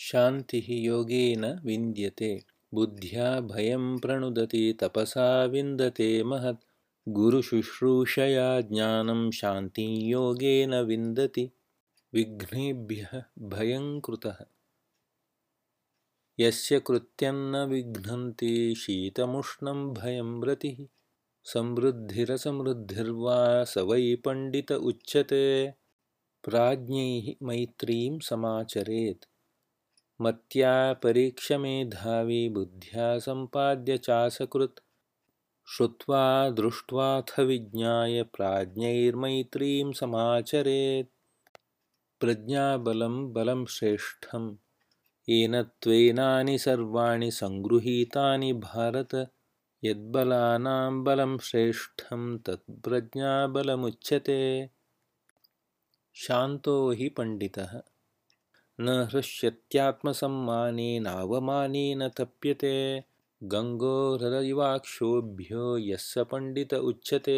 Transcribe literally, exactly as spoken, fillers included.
शान्तिः योगेन विन्द्यते बुद्ध्या भयं प्रणुदति तपसा विन्दते महत् गुरुशुश्रूषया ज्ञानं शान्तिं योगेन विन्दति विघ्नेभ्यः भयं कृतः यस्य कृत्यं न विघ्नन्ति शीतमुष्णं भयं रतिः समृद्धिरसमृद्धिर्वा स वै पण्डित उच्यते प्राज्ञैः मैत्रीं समाचरेत् मत्या परीक्षमेधावी बुद्ध्या सम्पाद्य चासकृत् श्रुत्वा दृष्ट्वाथ विज्ञाय प्राज्ञैर्मैत्रीं समाचरेत् प्रज्ञाबलं बलं श्रेष्ठं येन त्वेनानि सर्वाणि सङ्गृहीतानि भारत यद्बलानां बलं श्रेष्ठं तत् प्रज्ञाबलमुच्यते शान्तो हि पण्डितः न हृष्यत्यात्मसम्मानेनावमानेन तप्यते गङ्गो हृदयवाक्षोभ्यो यस्य पण्डित उच्यते